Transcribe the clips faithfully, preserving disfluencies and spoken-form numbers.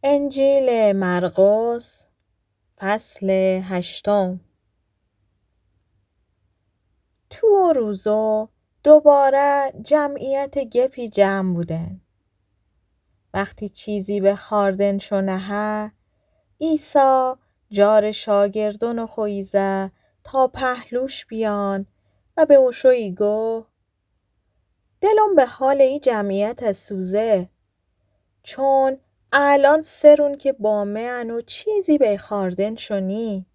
انجیلٚ مرقس، فصلٚ هشتم. تو او روزو دوباره جمعیت گپی جمع بودن. وختی چیزی به خوأردن شو نهه، عیسی جارٚ شاگردونٚ خو ایزه تا پهلوش بیان و به اوشو ایگو: دلم به حالٚ ای جمعیت سوزه، چون الأن سه رون که با مه ان و چیزی به خوأردن شو نی.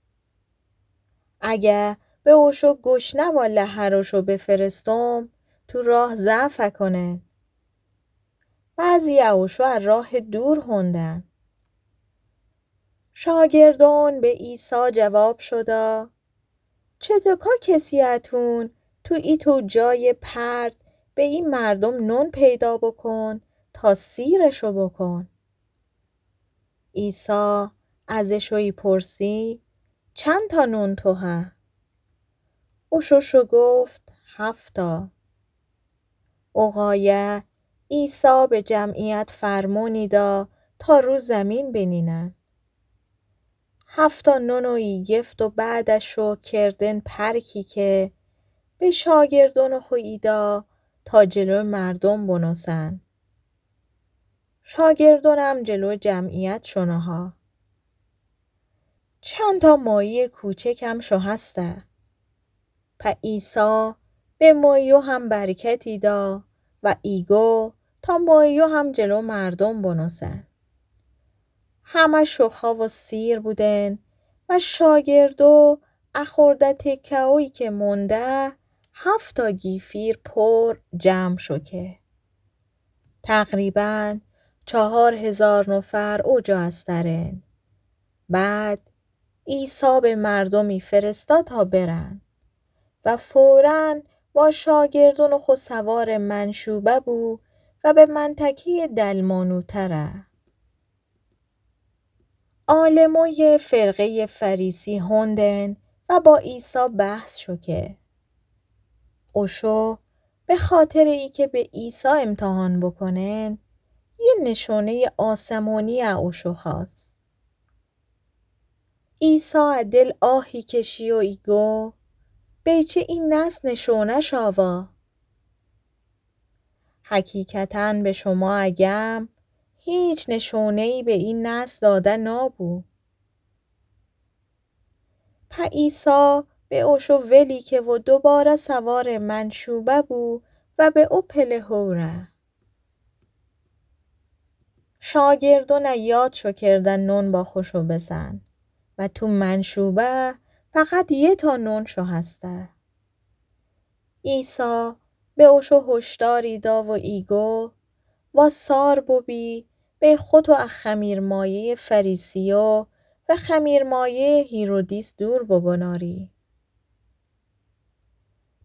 اگه به اوشو گشنه و لحروشو بفرستم، تو راه ضعف کنن. بعضی اوشو ا راه دور هوندن. شاگردون به عیسی جواب شده: چطوکا کسی اتون تو ایتو جایٚ پرت به ای مردوم نون پیدا بکن تا سیرشو بکن؟ عیسی از اشو ایپرسی: چندتا نون تو هه؟ اوشو شگفت: هفتا. او غایه عیسی به جمعیت فرمون ایدا تا رو زیمین بنینن. هفتا نون و ایگفت و بعد شکر کردن پرکی که، به شاگردونٚ خو ایدا تا جلو مردوم بنوسن. شاگردونم جلو جمعیت شو نهه. چندتا ماهیٚ کوچکم شو هسته؟ په عیسی به ماهیو هم برکت ایدا و ایگو تا ماهیو هم جلو مردوم بنوسن. همه شوخا و سیر بودن و شاگردو ا خورده تکه‌ویی که مونده، هفتا گیفیر پر جمع شو که. تقریباً چهار هزار نفر اوجا استرن. بعد عیسی به مردومی فرستا تا برن و فوراً با شاگردونٚ خو سوارٚ منشوبه بو و به منطقه‌یٚ دلمانوته ره. عالمویٚ فرقه‌یٚ فریسی هوندن و با عیسی بحث شو که. اوشو به خاطرٚ ای که به عیسی امتحان بکنن، یه نشونه‌یٚ آسمونی ا اوشو خواست. عیسی ا دل آهی کشی و ایگو: بیچه ای نس نشونه‌ش آوا؟ حقیقتاً به شما اگم، هیچ نشونه‌یی به ای نس داده نابو. په عیسی به اوشو ولی که و دوباره سوارٚ منشوبه بو و به او پله هو ره. شاگردون یاد شو کردن نون با خوشو بسن و تو منشوبه فقط یه تا نون شو هسته. عیسی به اوشو هشداری دا و ایگو: واسار بوبی، به خوتو ا خمیرمایه‌یٚ فریسیو و خمیرمایه‌یٚ هیرودیس دور بگوناری.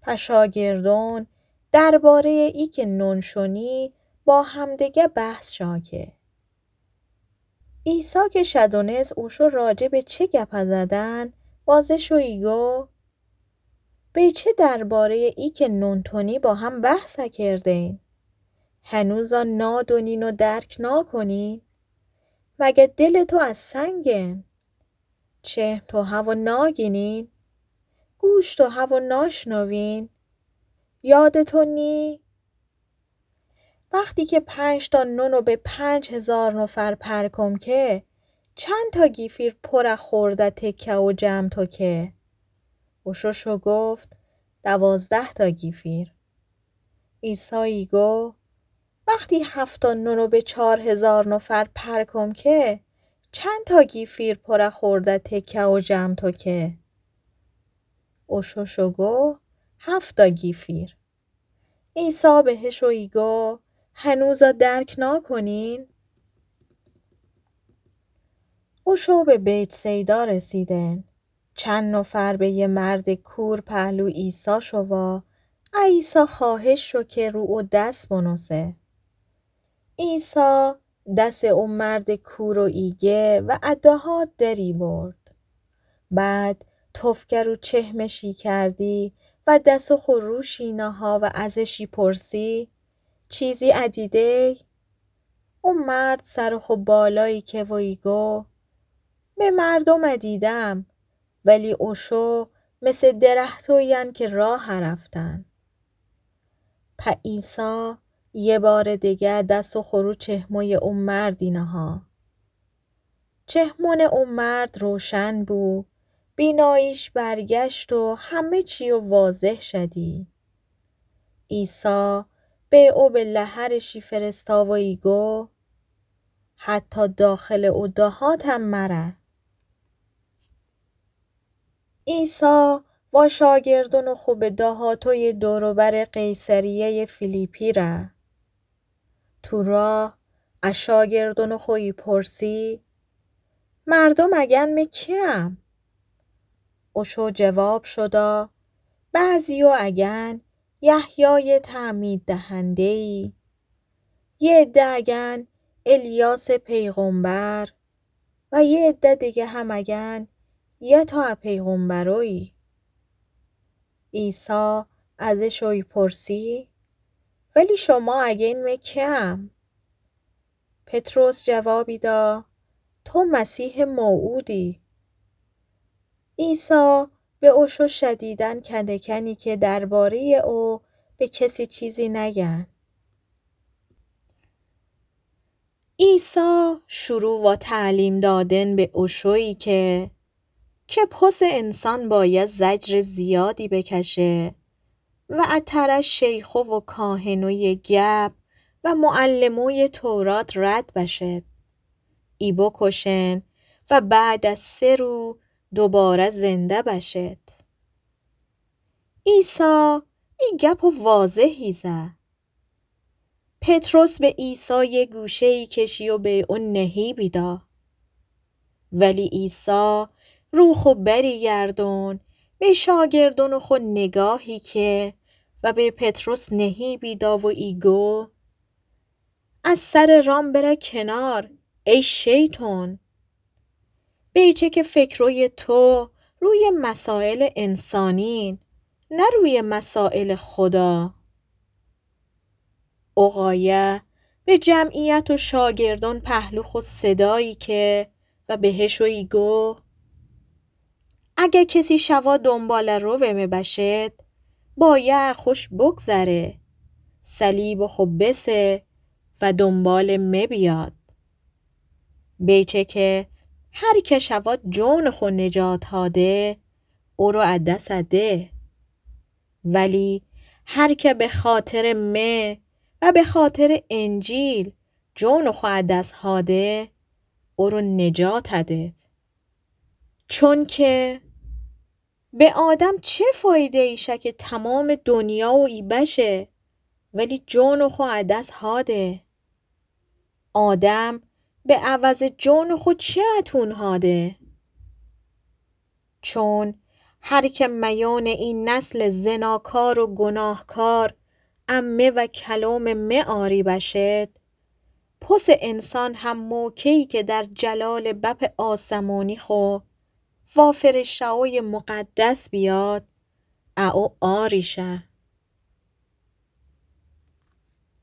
په شاگردون درباره‌یٚ ای که نون شونی با همدیگه بحث شا که. عیسی که شدونست اوشو راجع به چه گپ زدن، وازه شو ایگو: بیچه درباره‌یٚ ای که نون تونی با هم بحث کردین؟ هنوزا نادونین و درک ناکنین؟ مگه دلٚ تو از سنگن؟ چهن تو هوا ناگینین؟ گوش تو هوا ناشنوین؟ یادٚ تو نی؟ وختی که پنج تا نونو به پنج هزار نفر پر کم که، چند تا گیفیر پر ا خورده تکه و جمع تو که؟ اوشو شگفت: دوازده تا گیفیر. عیسی ایگو: وختی هفت تا نونو به چار هزار نفر پر کم که، چند تا گیفیر پر ا خورده تکه و جمع تو که؟ اوشو شگفت: هفت تا گیفیر. عیسی بهشو ایگو: هنوزا درک ناکنین؟ اوشو به بیت‌صیدا رسیدن. چند نفر به یه مردٚ کور پهلو ایسا شو و ا ایسا خواهش شو که رو او دس بنوسه. ایسا دسٚ او مردٚ کورو ایگه و ا دهات دری برد. بعد تفکه رو چهمشی کردی و دسو خو روشی نها و ازشی پرسی: چیزی ادیدی؟ او مرد سرٚ خو بالایی که و ایگو: به مردوم دیدم، ولی اوشو مثه درهتویی‌ان که راه رفتن. په عیسی یه بارٚ دگه دس و خو رو چهموی او مردی نها. چهمونٚ او مرد روشن بو، بیناییش برگشت و همه چیو واضح شدی. عیسی به او به لحرٚ شی فرستاو و ایگو: حتی داخلٚ او دهاتم مره. عیسی وا شاگردونٚ خو به دهاتوی دور و برٚ قیصریه‌یٚ فیلیپی ره. تو راه ا شاگردونٚ خو ایپرسی: مردوم اگن مه کی‌ام؟ اوشو جواب شودا: بعضیو اگن یحیایٚ تعمیددهنده‌یی، یه عده اگن الیاسٚ پیغمبر و یه عده دگه هم اگن یه تا ا پیغمبرویی. عیسی از اشو ایپرسی: ولی شما اگین مه کی‌ام؟ پطرس جوابی دا: تو مسیحٚ موعودی. عیسی به اوشو شدیداً کنه کنی که درباره‌یٚ او به کسی چیزی نگن. عیسی شروع وا تعلیم دادن به اوشویی که، که پسٚ انسان بایه زجرٚ زیادی بکشه و ا تره شیخو و کاهنویٚ گب و معلمویٚ تورات رد بشد، ای بکشن و بعد از سه رو دوباره زنده بشد. عیسی ای گپٚ واضحی زه. پطرس به عیسی یه گوشه‌یی کشی و به او نهیبی دا. ولی عیسی رو خو بری گردون، به شاگردونٚ خو نگاهی که و به پطرس نهیبی دا و ایگو: از سرٚ رام بره کنار، ای شیطون! بیچه که فکرویٚ تو رویٚ مسائلٚ انسانین، نه رویٚ مسائلٚ خدا. او قایه به جمعیت و شاگردون پهلو خو صدایی که و بهشو ایگو: اگه کسی شوا دونباله‌روٚ مه بشد، بایه خوش بگذره، صلیبٚ خو بسه و دونبالٚ مه بیاد. بیچه که هر که شوا جونٚ خو نجات هاده، اورو ا دس ده. ولی هر که به خاطرٚ مه و به خاطرٚ انجیل جونٚ خو ا دس هاده، اورو نجات دد. چونکه به آدم چه فایده‌یی شه که تمامٚ دنیا و ای بشه، ولی جونٚ خو ا دس هاده؟ آدم به عوضٚ جونٚ خو چی اتون هاده؟ چون هر که میونٚ ای نسلٚ زناکار و گناهکار ا مه و کلومٚ مه آری بشد، پسٚ انسان هم موکه‌یی که در جلالٚ بپٚ آسمونی خو وا فرشته‌ویٚ مقدس بیاد، ا او آری شه.